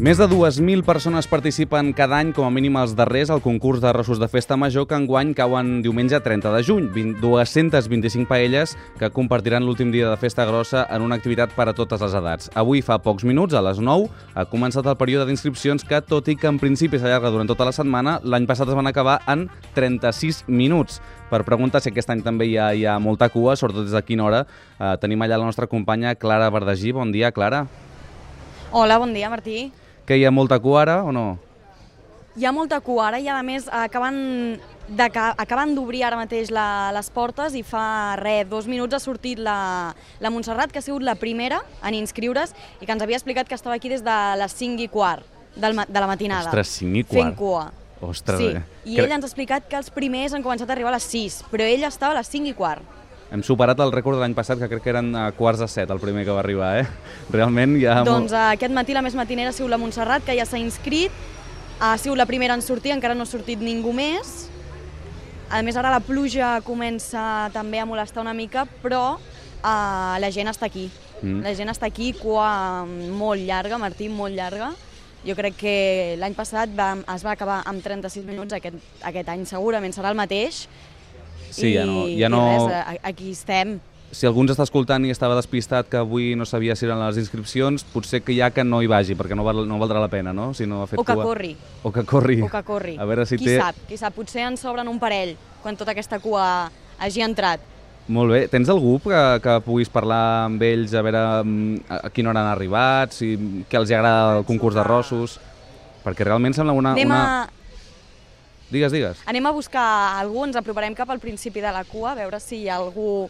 Més de 2.000 persones participen cada any, com a mínim els darrers, al concurs d'arrossos de festa major, que enguany cauen diumenge 30 de juny. 225 paelles que compartiran l'últim dia de festa grossa en una activitat per a totes les edats. Avui, fa pocs minuts, a les 9, ha començat el període d'inscripcions que, tot i que en principi s'allarga durant tota la setmana, l'any passat es van acabar en 36 minuts. Per preguntar si aquest any també hi ha molta cua, sobretot des de quina hora, tenim allà la nostra companya Clara Verdagí. Bon dia, Clara. Hola, bon dia, Martí. Que hi ha molta cua ara o no? Hi ha molta cua ara i, a més, acaben d'obrir ara mateix les portes i fa 2 minuts ha sortit la Montserrat, que ha sigut la primera en inscriure's i que ens havia explicat que estava aquí des de les 5:15 de la matinada. Ostres, 5:15. Fent cua. Ostres, sí. I ell ens ha explicat que els primers han començat a arribar a les 6, però ell estava a les 5:15. Hem superat el rècord de l'any passat, que crec que eren a 6:45 el primer que va arribar, Realment hi ha... Doncs aquest matí la més matinera ha sigut la Montserrat, que ja s'ha inscrit, ha sigut la primera en sortir, encara no ha sortit ningú més. A més, ara la pluja comença també a molestar una mica, però la gent està aquí. La gent està aquí, cua molt llarga, Martí, molt llarga. Jo crec que l'any passat es va acabar amb 36 minuts, aquest any segurament serà el mateix. Sí, i res, aquí estem. Si algú ens està escoltant i estava despistat que avui no sabia si eren les inscripcions, potser que hi ha que no hi vagi, perquè no valdrà la pena, no? Si no ha fet o que cua. corri. O que corri. O que corri. A veure si qui sap, potser en sobren un parell quan tota aquesta cua hagi entrat. Molt bé. Tens algú que puguis parlar amb ells, a veure a quina hora han arribat, què els agrada el concurs d'arrossos? Perquè realment sembla una... Digues. Anem a buscar algú, ens aproparem cap al principi de la cua, a veure si hi ha algú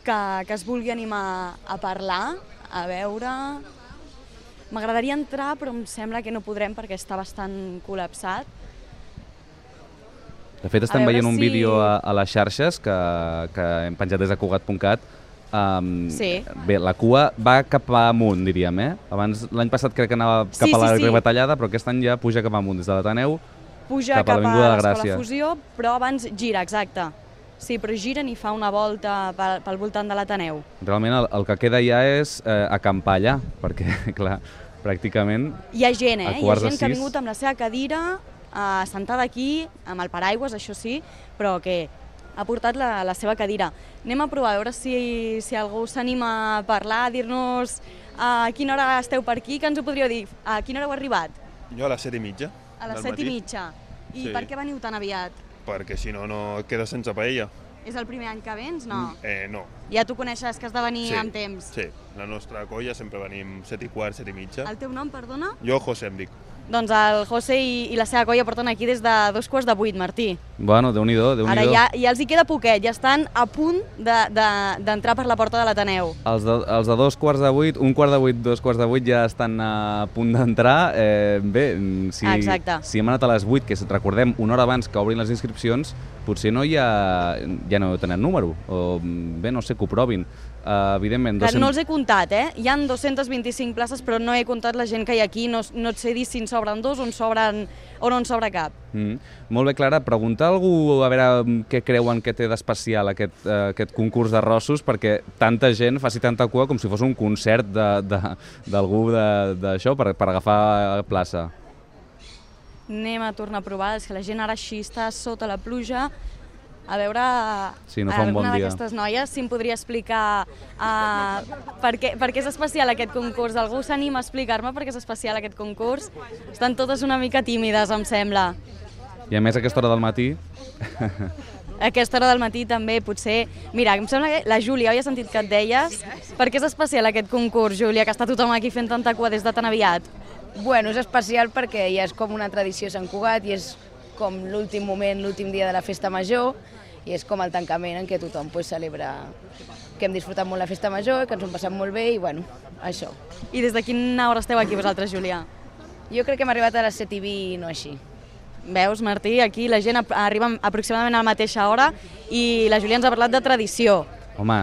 que es vulgui animar a parlar, a veure... M'agradaria entrar, però em sembla que no podrem perquè està bastant col·lapsat. De fet, estem veient un vídeo a les xarxes que hem penjat des de Cugat.cat. Sí. Bé, la cua va cap amunt, diríem, Abans, l'any passat crec que anava cap a la Rebatallada, però aquest any ja puja cap amunt, des de l'Ateneu. Puja cap a l'Escola Fusió, però abans gira, exacte. Sí, però giren i fa una volta pel voltant de l'Ateneu. Realment el que queda ja és acampar allà, perquè, clar, pràcticament... Hi ha gent, Hi ha gent que ha vingut amb la seva cadira, sentada aquí, amb el paraigües, això sí, però que ha portat la seva cadira. Anem a provar, a veure si algú s'anima a parlar, a dir-nos a quina hora esteu per aquí, que ens ho podríeu dir. A quina hora heu arribat? Jo a les 7:30. A les 7:30. I per què veniu tan aviat? Perquè si no, no quedes sense paella. És el primer any que vens, no? No. Ja tu coneixes que has de venir amb temps? Sí, la nostra colla sempre venim 7:15, 7:30. El teu nom, perdona? Jo, José, em dic. Doncs el José i la seva colla porten aquí des de 7:45, Martí. Bueno, Déu-n'hi-do. Ara ja els hi queda poquet, ja estan a punt d'entrar per la porta de l'Ateneu. Els de 7:45, 7:15, 7:45 ja estan a punt d'entrar. Bé, si hem anat a les 8, que recordem una hora abans que obrin les inscripcions, potser ja no tenen número, o bé, no sé, que ho provin. Evidentment... No els he comptat, Hi ha 225 places, però no he comptat la gent que hi ha aquí, no et sé dir si en sobren dos o no en sobra cap. Molt bé, Clara, preguntar a algú a veure què creuen que té d'especial aquest concurs d'arrossos, perquè tanta gent faci tanta cua com si fos un concert d'algú d'això per agafar plaça. Anem a tornar a provar, és que la gent ara així està sota la pluja. A veure, alguna d'aquestes noies, si em podria explicar per què és especial aquest concurs. Algú s'anima a explicar-me per què és especial aquest concurs? Estan totes una mica tímides, em sembla. I a més, a aquesta hora del matí... A aquesta hora del matí també, potser... Mira, em sembla que la Júlia, oi, he sentit que et deies? Per què és especial aquest concurs, Júlia, que està tothom aquí fent tanta cua des de tan aviat? Bueno, és especial perquè ja és com una tradició a Sant Cugat i és com l'últim moment, l'últim dia de la festa major, i és com el tancament en què tothom celebra que hem disfrutat molt la festa major, que ens ho hem passat molt bé i bueno, això. I des de quina hora esteu aquí vosaltres, Júlia? Jo crec que hem arribat a les 7:20, no així. Veus, Martí, aquí la gent arriba aproximadament a la mateixa hora i la Júlia ens ha parlat de tradició. Home,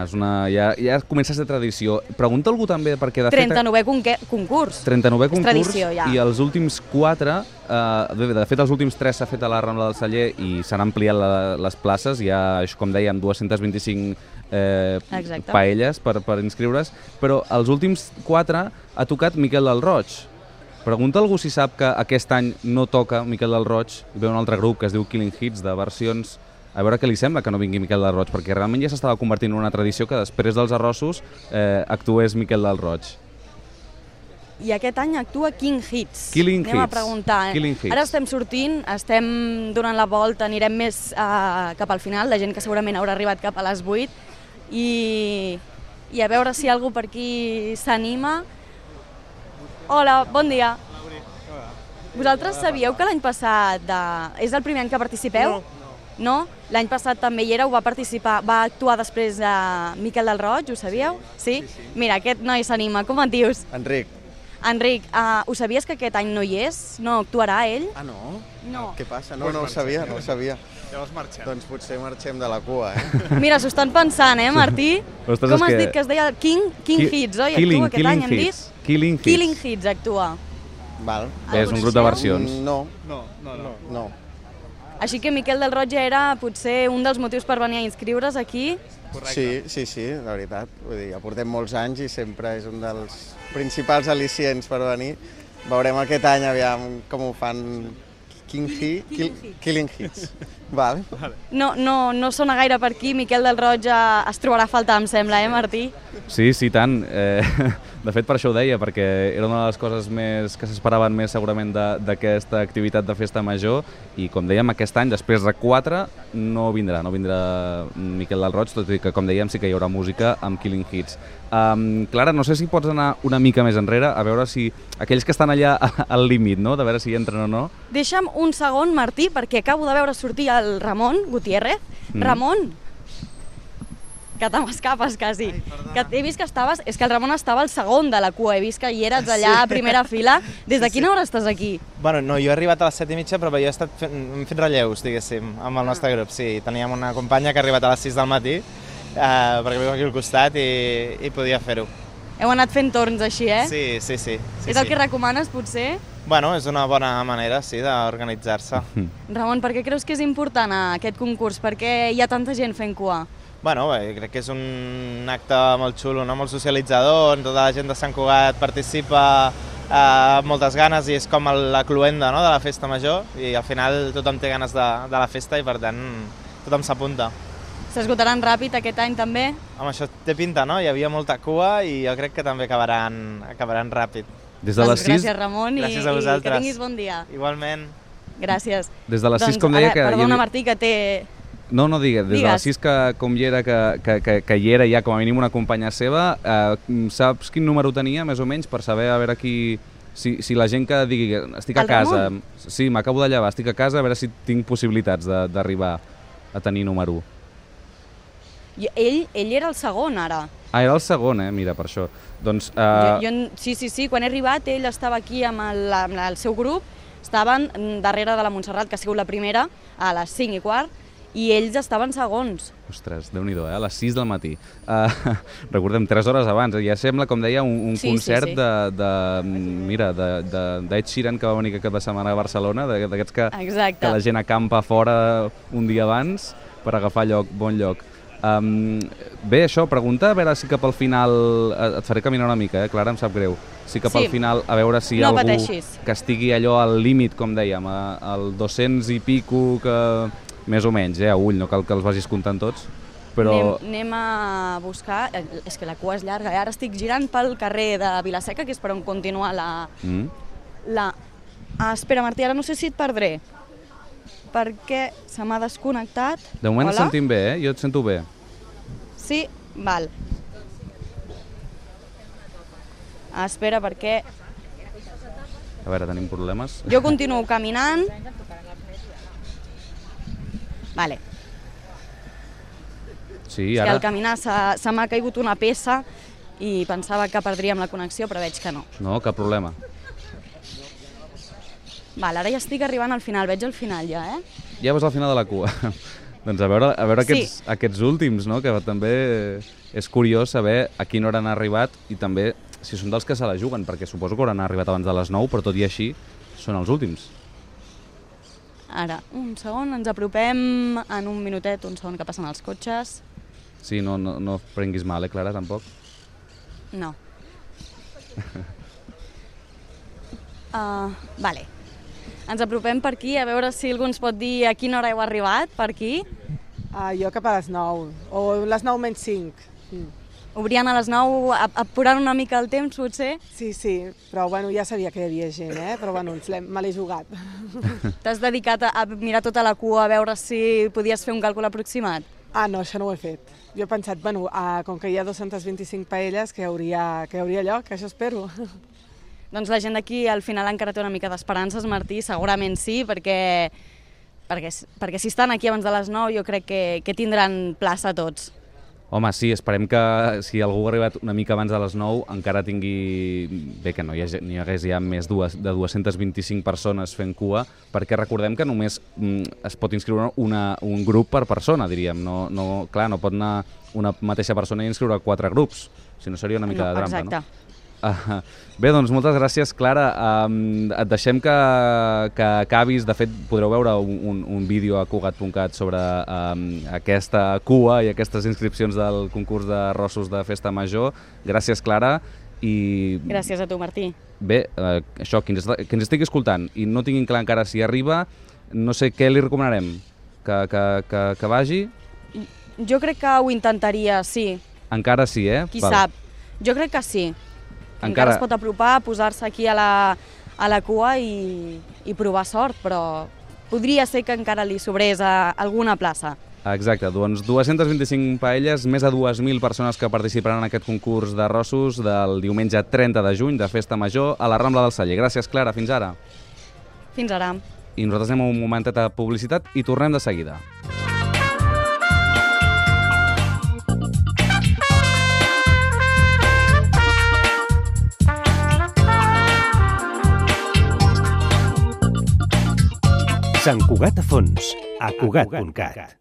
ja comença a ser tradició. Pregunta algú també, perquè de fet... 39è concurs. 39è concurs, tradició, ja. I els últims 4, de fet els últims 3 s'ha fet a la Rambla del Celler i s'han ampliat les places, hi ha, com dèiem, 225 paelles per inscriure's, però els últims 4 ha tocat Miquel del Roig. Pregunta algú si sap que aquest any no toca Miquel del Roig, i ve un altre grup que es diu Killing Hits, de versions... A veure què li sembla que no vingui Miquel del Roig, perquè realment ja s'estava convertint en una tradició que després dels arrossos actués Miquel del Roig. I aquest any actua King Hits. Killing Anem Hits. a preguntar. Killing Hits. Ara estem sortint, estem donant la volta, anirem més cap al final, la gent que segurament haurà arribat cap a les 8, i a veure si algú per aquí s'anima. Hola, bon dia. Vosaltres sabíeu que l'any passat és el primer any que participeu? No? L'any passat també hi era, va participar, va actuar després de Miquel del Roig, ho sabíeu? Sí? Mira, aquest noi s'anima. Com et dius? Enric. Enric, ho sabies que aquest any no hi és? No actuarà ell? Ah, no? No. Què passa? No ho sabia, no ho sabia. Llavors marxem. Doncs potser marxem de la cua, eh? Mira, s'ho estan pensant, Martí? Ostres, Com has dit que es deia King Hits, oi? Actua aquest any, hem dit? Killing Hits actua. Val. És un grup de versions. No. Així que Miquel del Roig ja era potser un dels motius per venir a inscriure's aquí. Sí, la veritat. Vull dir, ja portem molts anys i sempre és un dels principals al·licients per venir. Veurem aquest any aviam com ho fan Killing Hits. Val. No sona gaire per aquí, Miquel del Roig es trobarà a faltar, em sembla, Martí? Sí, tant. De fet, per això ho deia, perquè era una de les coses que s'esperaven més segurament d'aquesta activitat de festa major i, com dèiem, aquest any, després de 4, no vindrà Miquel del Roig, tot i que, com dèiem, sí que hi haurà música amb Killing Hits. Clara, no sé si pots anar una mica més enrere, a veure si aquells que estan allà al límit, no?, de veure si entren o no. Deixa'm un segon, Martí, perquè acabo de veure sortir el Ramon Gutiérrez. Ramon, que te m'escapes quasi. Que he vist que estaves... És que el Ramon estava al segon de la cua, he vist que hi eres allà a primera fila. Des de quina hora estàs aquí? Bueno, no, jo he arribat a les 7:30, però jo hem fet relleus, diguéssim, amb el nostre grup. Sí, teníem una companya que ha arribat a les 6 del matí, perquè viu aquí al costat i podia fer-ho. Heu anat fent torns així, eh? Sí. És el que recomanes, potser? Bueno, és una bona manera, sí, d'organitzar-se. Ramon, per què creus que és important aquest concurs? Per què hi ha tanta gent fent cua? Bueno, crec que és un acte molt xulo, no? Molt socialitzador, on tota la gent de Sant Cugat participa amb moltes ganes i és com la cloenda, no?, de la festa major i al final tothom té ganes de la festa i per tant tothom s'apunta. S'esgotaran ràpid aquest any també? Home, això té pinta, no? Hi havia molta cua i jo crec que també acabaran ràpid. Des de les 6... Gràcies, Ramon, gràcies a vosaltres. I que tinguis bon dia. Igualment. Gràcies. Des de les 6, com deia... Perdona, Martí, que té... No, digues. Des de les 6 com hi era, que hi era ja com a mínim una companya seva, saps quin número tenia, més o menys, per saber a veure qui... Si la gent que digui estic a casa... Sí, m'acabo de llevar, estic a casa, a veure si tinc possibilitats d'arribar a tenir número 1. Ell era el segon, ara. Ah, era el segon, mira, per això. Doncs... Sí, quan he arribat, ell estava aquí amb el seu grup, estaven darrere de la Montserrat, que ha sigut la primera, a les 5:15, i ells estaven segons. Ostres, Déu-n'hi-do, a les 6 del matí. Recordem, 3 hores abans. Ja sembla, com deia, un concert d'Ed Sheeran, que va venir aquest cap de setmana a Barcelona, d'aquests que la gent acampa fora un dia abans per agafar bon lloc. Bé, això, pregunta a veure si cap al final... Et faré caminar una mica, Clara, em sap greu. Si cap al final, a veure si hi ha algú que estigui allò al límit, com dèiem, al 200 i pico, que més o menys, a ull, no cal que els vagis comptant tots, però... Anem a buscar... És que la cua és llarga, ara estic girant pel carrer de Vilaseca, que és per on continua espera, Martí, ara no sé si et perdré, perquè se m'ha desconnectat. De moment et sentim bé, jo et sento bé. Sí? Val. Espera, perquè... A veure, tenim problemes. Jo continuo caminant. Vale. Sí, ara... És que al caminar se m'ha caigut una peça i pensava que perdríem la connexió, però veig que no. No, cap problema. Val, ara ja estic arribant al final, veig el final ja, Ja vas al final de la cua. Doncs a veure aquests últims, no? Que també és curiós saber a quina hora han arribat i també si són dels que se la juguen, perquè suposo que hauran arribat abans de les 9, però tot i així són els últims. Ara, un segon, ens apropem en un minutet, un segon que passen els cotxes. Sí, no prenguis mal, Clara, tampoc? No. Vale. Ens apropem per aquí, a veure si algú ens pot dir a quina hora heu arribat, per aquí. Jo cap a les 9, o les 9 menys 5. Obrien a les 9, apurant una mica el temps, potser? Sí, però bueno, ja sabia que hi havia gent, però bueno, me l'he jugat. T'has dedicat a mirar tota la cua, a veure si podies fer un càlcul aproximat? No, això no ho he fet. Jo he pensat, bueno, com que hi ha 225 paelles, que hi hauria lloc, això espero. Doncs la gent d'aquí al final encara té una mica d'esperances, Martí, segurament sí, perquè si estan aquí abans de les 9 jo crec que tindran plaça tots. Home, sí, esperem que si algú ha arribat una mica abans de les 9 encara tingui... Bé, que no hi hagués ja més de 225 persones fent cua, perquè recordem que només es pot inscriure un grup per persona, diríem. Clar, no pot anar una mateixa persona i inscriure 4 grups, si no seria una mica de trampa, exacte. No? Bé, doncs moltes gràcies, Clara. Et deixem que acabis. De fet, podreu veure un vídeo a Cugat.cat sobre aquesta cua i aquestes inscripcions del concurs de rossos de Festa Major. Gràcies, Clara. Gràcies a tu, Martí. Bé, això, qui ens estigui escoltant i no tinguin clar encara si arriba, no sé què li recomanarem. Que vagi? Jo crec que ho intentaria, sí. Encara sí, Qui sap? Jo crec que sí. Encara es pot apropar, posar-se aquí a la cua i provar sort, però podria ser que encara li sobrés a alguna plaça. Exacte, doncs 225 paelles, més de 2.000 persones que participaran en aquest concurs de rossos del diumenge 30 de juny de Festa Major a la Rambla del Celler. Gràcies, Clara, fins ara. Fins ara. I nosaltres anem a un momentet de publicitat i tornem de seguida. Sant Cugat a fons, a Cugat.cat.